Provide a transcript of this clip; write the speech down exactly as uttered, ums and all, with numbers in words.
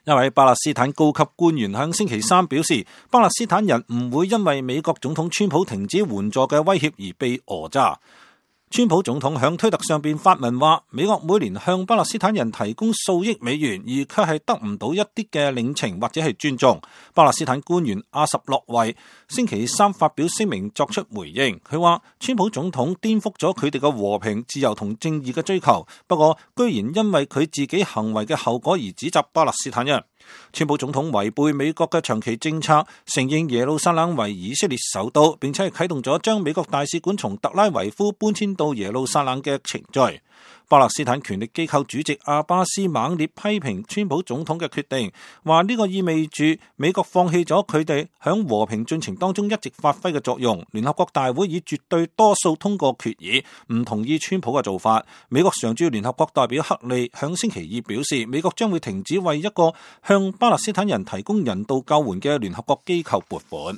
一位巴勒斯坦高級官員向星期三表示，巴勒斯坦人唔會因為美國總統川普停止援助嘅威脅而被訛詐。川普總統響推特上邊發文話，美國每年向巴勒斯坦人提供數億美元，而卻係得唔到一啲嘅領情或者係尊重。巴勒斯坦官員阿什洛維星期三發表聲明作出回應，佢話川普總統顛覆咗佢哋嘅和平、自由同正義嘅追求，不過居然因為佢自己行為嘅後果而指責巴勒斯坦人。川普總統違背美國嘅長期政策，承認耶路撒冷為以色列首都，並且係啟動咗將美國大使館從特拉維夫搬遷到耶路撒冷嘅程序。巴勒斯坦權力機構主席阿巴斯猛烈批評川普總統嘅決定，話呢個意味住美國放棄咗佢哋響和平進程當中一直發揮嘅作用。聯合國大會以絕對多數通過決議，唔同意川普嘅做法。美國常駐聯合國代表克利響星期二表示，美國將會停止為一個向巴勒斯坦人提供人道救援嘅聯合國機構撥款。